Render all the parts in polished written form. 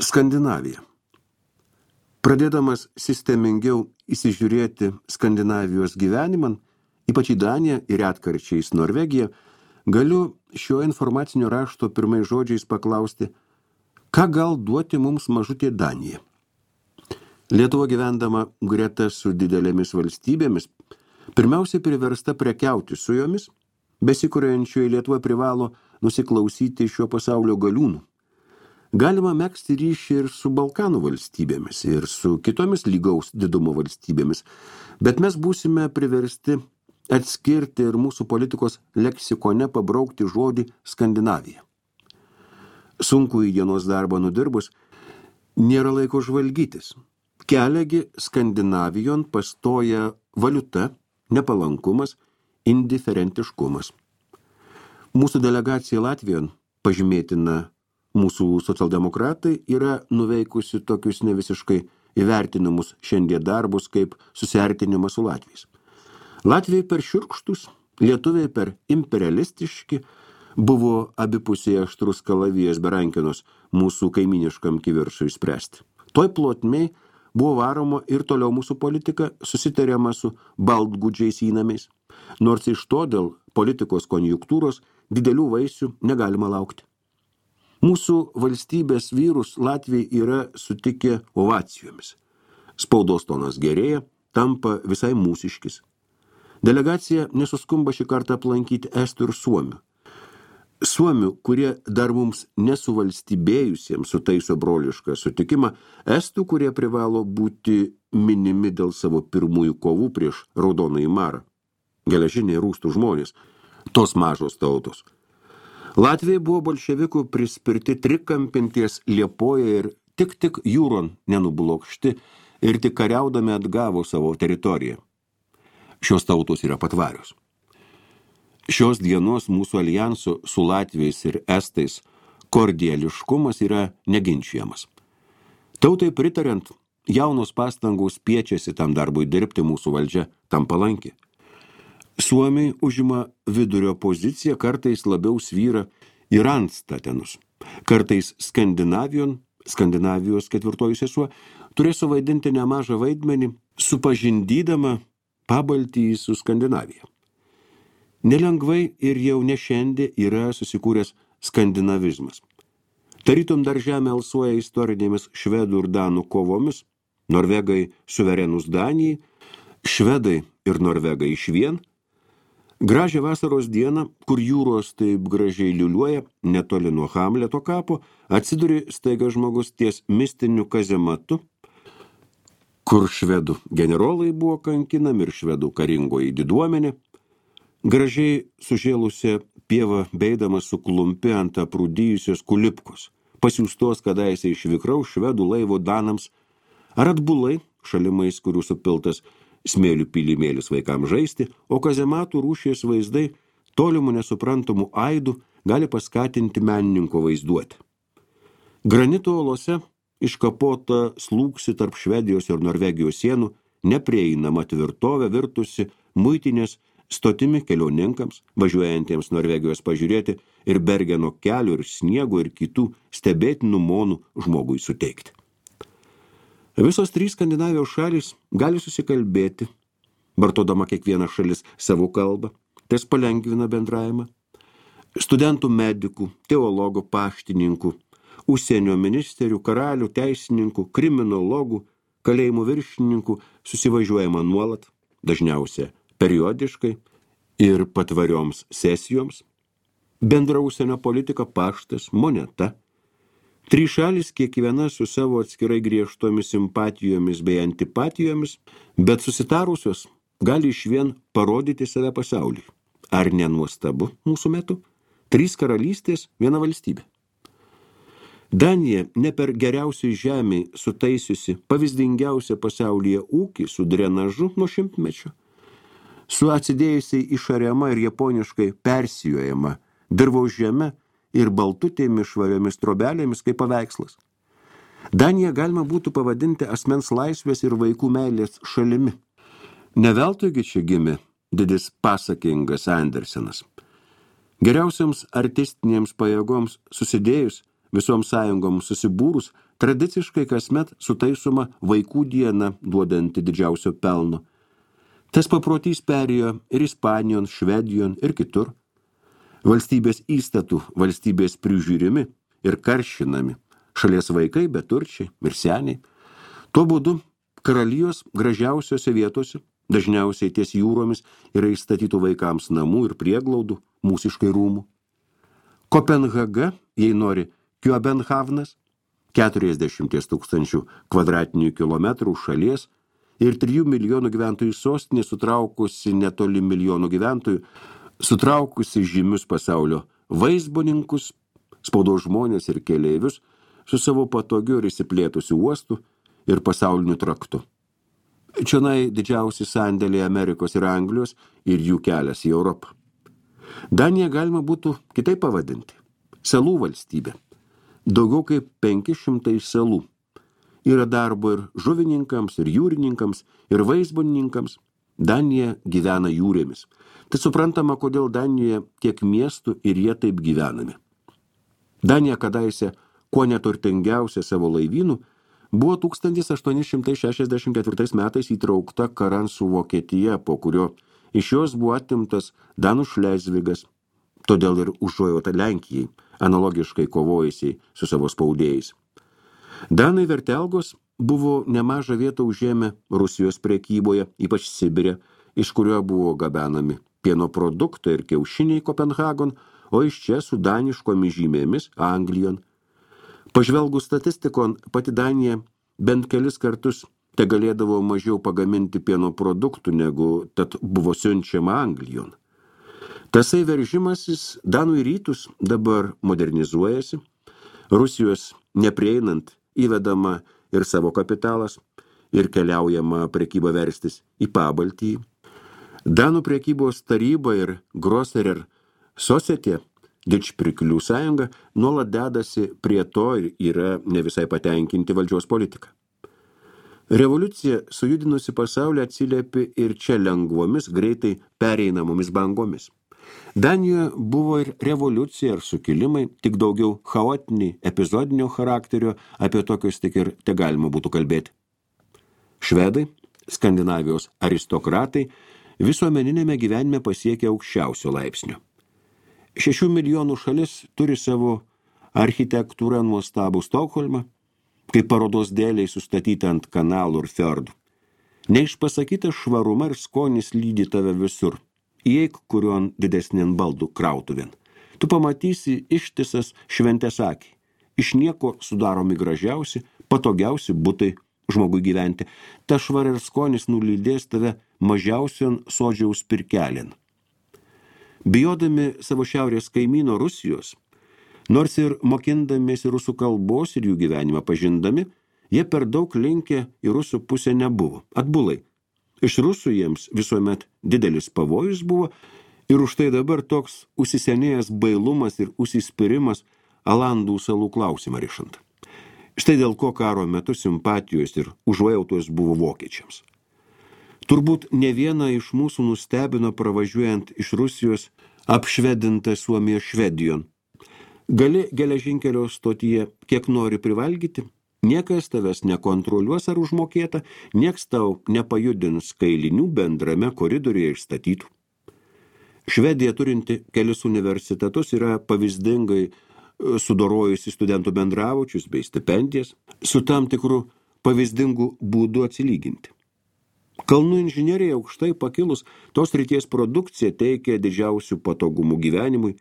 Skandinavija. Pradėdamas sistemingiau įsižiūrėti Skandinavijos gyvenimą, ypač į Daniją ir retkarčiais Norvegiją, galiu šio informacinio rašto pirmais žodžiais paklausti, ką gal duoti mums mažutė Danija. Lietuva gyvendama greta su didelėmis valstybėmis, pirmiausiai priversta prekiauti su jomis, besikuriančioji Lietuva privalo nusiklausyti šio pasaulio galiūnų. Galima megzti ryšį ir su Balkanų valstybėmis, ir su kitomis lygaus didumo valstybėmis, bet mes būsime priversti atskirti ir mūsų politikos leksikone pabraukti žodį Skandinavija. Sunku į dienos darbą nudirbus, nėra laiko žvalgytis. Keliagi Skandinavijon pastoja valiuta, nepalankumas, indiferentiškumas. Mūsų delegacija Latvijon, pažymėtina mūsų socialdemokratai, yra nuveikusi tokius nevisiškai įvertinamus šiandien darbus kaip susiartinimas su Latviais. Latviai per šiurkštus, lietuviai per imperialistiški, buvo abipusiai aštrus kalavijas berankinos mūsų kaiminiškam kiviršui spręsti. Toj plotmei buvo varoma ir toliau mūsų politika, susitariama su baltgudžiais įnamiais, nors iš to dėl politikos konjunktūros didelių vaisių negalima laukti. Mūsų valstybės vyrus Latviai yra sutikę ovacijomis. Spaudos tonas gerėja, tampa visai mūsiškis. Delegacija nesuskumba šį kartą aplankyti estų ir suomių. Suomių, kurie dar mums nesuvalstybėjusiems sutaiso brolišką sutikimą, estų, kurie privalo būti minimi dėl savo pirmųjų kovų prieš raudonąjį marą. Geležiniai rūstų žmonės, tos mažos tautos. Latvijai buvo bolševikų prispirti trikampinties Liepoje ir tik jūron nenublokšti ir tik kariaudami atgavo savo teritoriją. Šios tautos yra patvarios. Šios dienos mūsų alijanso su Latviais ir Estais kordiališkumas yra neginčiamas. Tautai pritariant, jaunos pastangos spiečiasi tam darbui dirbti, mūsų valdžia tam palanki. Suomiai užima vidurio poziciją, kartais labiau svyra į randstatenus. Kartais Skandinavijos ketvirtoji sesuo, turės suvaidinti nemažą vaidmenį, supažindydama Pabaltijį su Skandinavija. Nelengvai ir jau ne šiandien yra susikūręs skandinavizmas. Tarytum dar žemė alsuoja istorinėmis švedų ir danų kovomis, norvegai suverenus Danijai, švedai ir norvegai išvien. Gražią vasaros dieną, kur jūros taip gražiai liuliuoja, netoli nuo Hamleto kapo, atsiduri staiga žmogus ties mistiniu kazematu, kur švedų generolai buvo kankinami ir švedų karingoji diduomenė. Gražiai sužėlusią pievą beidamas suklumpi ant aprūdijusios kulipkos, pasiūstos kadaise iš vikraus švedų laivo danams, ar atbulai, šalimais, kurių supiltas smėlių pylimėlis vaikams žaisti, o kazematų rūšies vaizdai tolimų nesuprantamų aidų gali paskatinti menininko vaizduoti. Granito olose iškapota slūgsi tarp Švedijos ir Norvegijos sienų, neprieinama tvirtovė virtusi muitinės stotimi kelioninkams, važiuojantiems Norvegijos pažiūrėti ir Bergeno kelių ir sniego ir kitų stebėtinų monų žmogui suteikti. Visos trys Skandinavijos šalys gali susikalbėti, vartodama kiekviena šalis savo kalbą, tas palengvina bendravimą. Studentų medikų, teologų, paštininkų, užsienio ministerių, karalių, teisininkų, kriminologų, kalėjimų viršininkų susivažiuojama nuolat, dažniausia periodiškai ir patvarioms sesijoms. Bendra užsienio politika, paštas, moneta. Trys šalys kiekviena su savo atskirai griežtomis simpatijomis bei antipatijomis, bet susitarusios gali išvien parodyti save pasauliui. Ar nenuostabu mūsų metu? 3 karalystės, 1 valstybė. Danija ne per geriausiai žemiai sutaisiusi pavyzdingiausią pasaulyje ūkį su drenažu nuo šimtmečio, su atsidėjusiai išariama ir japoniškai persijojama dirvaus žeme ir baltutėmis švariomis trobelėmis kaip paveikslas. Daniją galima būtų pavadinti asmens laisvės ir vaikų meilės šalimi. Neveltuigi čia gimė didis pasakingas Andersenas. Geriausiams artistinėms pajėgoms susidėjus, visoms sąjungoms susibūrus, tradiciškai kasmet sutaisoma vaikų diena, duodanti didžiausio pelno. Tas paprotys perėjo ir Ispanijon, Švedijon ir kitur. Valstybės įstatų, valstybės prižiūrimi ir karšinami, šalies vaikai, beturčiai ir seniai. Tuo būdu karalijos gražiausiose vietose, dažniausiai ties jūromis, yra įstatytų vaikams namų ir prieglaudų, mūsiškai rūmų. Kopenhaga, jei nori, Kjobenhavnas, 40 000 kvadratinių kilometrų šalies ir 3 milijonų gyventojų sostinė, sutraukusi netoli milijonų gyventojų, sutraukusi žymius pasaulio vaizboninkus, spaudos žmonės ir keleivius, su savo patogiu ir įsiplėtusiu uostu ir pasauliniu traktu. Čionai didžiausi sandėliai Amerikos ir Anglijos ir jų kelias į Europą. Daniją galima būtų kitaip pavadinti. Salų valstybė. Daugiau kaip 500 salų. Yra darbo ir žuvininkams, ir jūrininkams, ir vaizbonininkams. Danija gyvena jūrėmis. Tai suprantama, kodėl Danijoje tiek miestų ir jie taip gyvenami. Danija kadaise, kuo neturtingiausia savo laivynų, buvo 1864 metais įtraukta karan su Vokietija, po kurio iš jos buvo atimtas Danų Šlezvigas, todėl ir užuojauta Lenkijai, analogiškai kovojusiai su savo spaudėjais. Danai Vertelgos buvo nemažą vietą užėmę Rusijos prekyboje, ypač Sibire, iš kurio buvo gabenami pieno produktai ir kiaušiniai Kopenhagon, o iš čia su daniškomis žymėmis Anglijon. Pažvelgus statistikon, pati Danija bent kelis kartus te galėdavo mažiau pagaminti pieno produktų, negu tad buvo siunčiama Anglijon. Tasai veržimasis Danų į rytus dabar modernizuojasi, Rusijos neprieinant įvedama ir savo kapitalas, ir keliaujama prekyba verstis į Pabaltijį. Danų prekybos taryba ir Grosserer Society, didžpriklių sąjunga, nuolat dedasi prie to ir yra ne visai patenkinti valdžios politika. Revoliucija sujudinusi pasaulį atsiliepė ir čia lengvomis, greitai pereinamomis bangomis. Danijoje buvo ir revoliucija ir sukilimai, tik daugiau chaotiniai, epizodinio charakterio, apie tokius tik ir te galima būtų kalbėti. Švedai, Skandinavijos aristokratai, visuomeninėme gyvenime pasiekė aukščiausio laipsnio. 6 milijonų šalis turi savo architektūrą nuostabų Stokholmą, kaip parodos dėliai sustatyti ant kanalų ir fjordų. Neišpasakytas švaruma ir skonis lydi tave visur. Įeik kurion didesnien baldų krautuvien. Tu pamatysi ištisas šventės akį. Iš nieko sudaromi gražiausi, patogiausi butai žmogui gyventi. Ta švar ir skonis nulydės tave mažiausion sodžiaus pirkelin. Bijodami savo šiaurės kaimyno Rusijos, nors ir mokindamiesi rusų kalbos ir jų gyvenimą pažindami, jie per daug linkę į rusų pusę nebuvo. Atbulai. Iš rusų jiems visuomet didelis pavojus buvo ir už tai dabar toks užsisenėjęs bailumas ir užsispyrimas Alandų salų klausimą rišant. Štai dėl ko karo metu simpatijos ir užuojautos buvo vokiečiams. Turbūt ne vieną iš mūsų nustebino pravažiuojant iš Rusijos apšvedintą Suomijos Švedijon. Gali geležinkelio stotyje kiek nori privalgyti, niekas tavęs nekontroliuos ar užmokėta, nieks tau nepajudins kailinių bendrame koridoriuje išstatytų. Švedija turinti kelis universitetus yra pavyzdingai sudorojusi studentų bendravučius bei stipendijas, su tam tikru pavyzdingu būdu atsilyginti. Kalnų inžinerija aukštai pakilus, tos srities produkcija teikia didžiausių patogumų gyvenimui.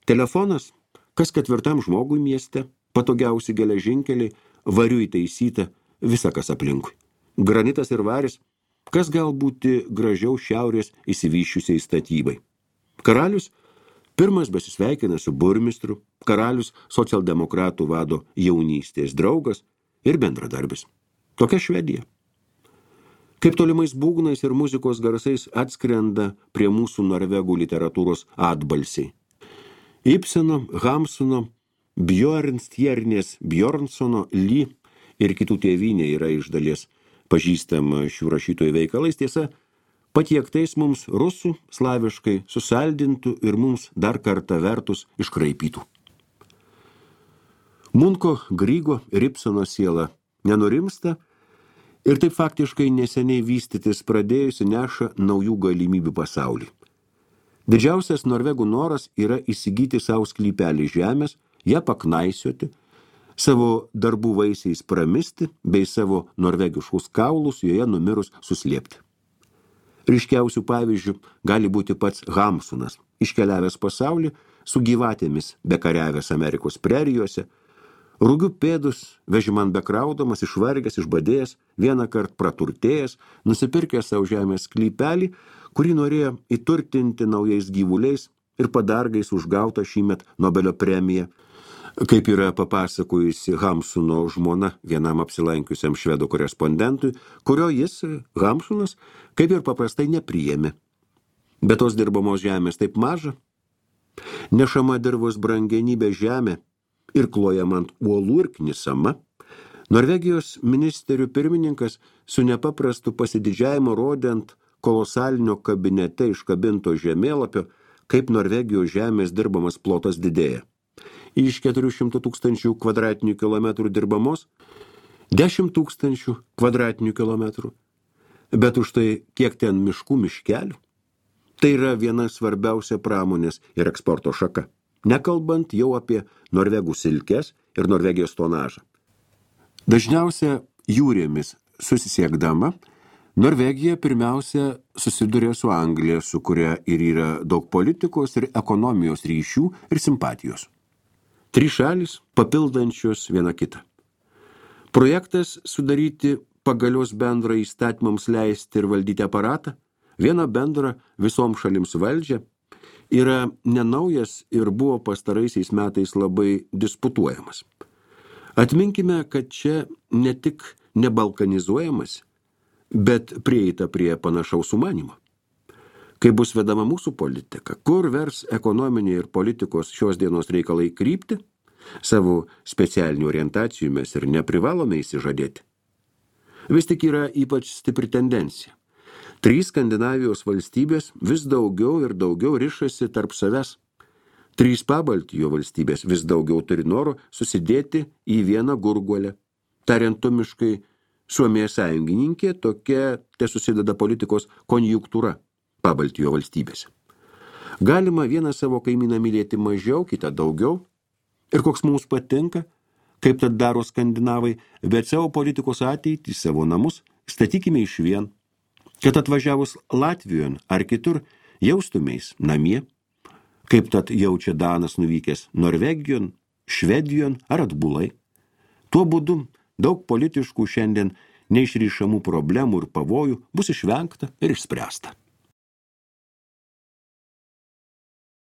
Telefonas, kas 4 žmogui mieste, patogiausi geležinkeliai, variu įtaisyta, visa kas aplinkui. Granitas ir varis, kas gal būti gražiau šiaurės įsivyščiusiai statybai. Karalius pirmas besisveikina su burmistru, karalius socialdemokratų vado jaunystės draugas ir bendradarbis. Tokia Švedija. Kaip tolimais būgnais ir muzikos garsais atskrenda prie mūsų norvegų literatūros atbalsiai. Ibseno, Hamsuno, Bjornstjernės, Bjornsono, Ly ir kitų tėvynė yra iš dalies pažįstama šių rašytojų veikalais, tiesa, patiektais mums rusų, slaviškai susaldintų ir mums dar kartą vertus iškraipytų. Munko, Grygo ir Ibsono siela nenurimsta ir taip faktiškai neseniai vystytis pradėjusi neša naujų galimybių pasaulį. Didžiausias norvegų noras yra įsigyti savo sklypelį žemės, ją paknaisioti, savo darbų vaisiais pramisti, bei savo norvegiškus kaulus joje numirus suslėpti. Ryškiausių pavyzdžių gali būti pats Hamsunas, iškeliavęs pasaulį, su gyvatėmis bekariavęs Amerikos prerijose, rūgių pėdus, vežimant bekraudamas, išvargęs, išbadėjęs, vieną kart praturtėjęs, nusipirkęs savo žemės sklypelį, kurį norėjo įturtinti naujais gyvuliais ir padargais užgautą šįmet Nobelio premiją, kaip yra papasakojusi Hamsuno žmona vienam apsilankiusiam švedų korespondentui, kurio jis, Hamsunas, kaip ir paprastai nepriėmė. Bet tos dirbamos žemės taip maža, nešama dirvos brangenybė žemė ir klojama ant uolų ir knisama, Norvegijos ministerių pirmininkas su nepaprastu pasididžiavimu rodė ant kolosalinio kabinete iškabinto žemėlapio, kaip Norvegijos žemės dirbamas plotas didėja. Iš 400 000 kvadratinių kilometrų dirbamos 10 000 kvadratinių kilometrų. Bet už tai kiek ten miškų miškelių? Tai yra viena svarbiausia pramonės ir eksporto šaka. Nekalbant jau apie norvegų silkes ir Norvegijos tonažą. Dažniausia jūrėmis susisiekdama, Norvegija pirmiausia susiduria su Anglija, su kuria ir yra daug politikos ir ekonomijos ryšių ir simpatijos. 3 šalys papildančios viena kitą. Projektas sudaryti pagalios bendrą įstatymams leisti ir valdyti aparatą, vieną bendrą visoms šalims valdžią, yra nenaujas ir buvo pastaraisiais metais labai disputuojamas. Atminkime, kad čia ne tik nebalkanizuojamas, bet prieita prie panašaus sumanimo. Kai bus vedama mūsų politika, kur vers ekonominiai ir politikos šios dienos reikalai krypti, savo specialinių orientacijų mes ir neprivalome įsižadėti. Vis tik yra ypač stipri tendencija. 3 Skandinavijos valstybės vis daugiau ir daugiau rišasi tarp savęs. 3 Pabaltijo valstybės vis daugiau turi noro susidėti į vieną gurguolę. Tariantumiškai, Suomija sąjungininkė tokia susideda politikos konjunktūra Pabaltijo valstybėse. Galima vieną savo kaimyną mylėti mažiau, kitą daugiau. Ir koks mums patinka, kaip tad daro skandinavai, bet savo politikos ateitį, savo namus statykime išvien, kad atvažiavus Latvijon ar kitur jaustumeis namie, kaip tad jaučia Danas nuvykęs Norvegijon, Švedijon ar atbulai. Tuo būdu daug politiškų šiandien neišrišamų problemų ir pavojų bus išvengta ir išspręsta.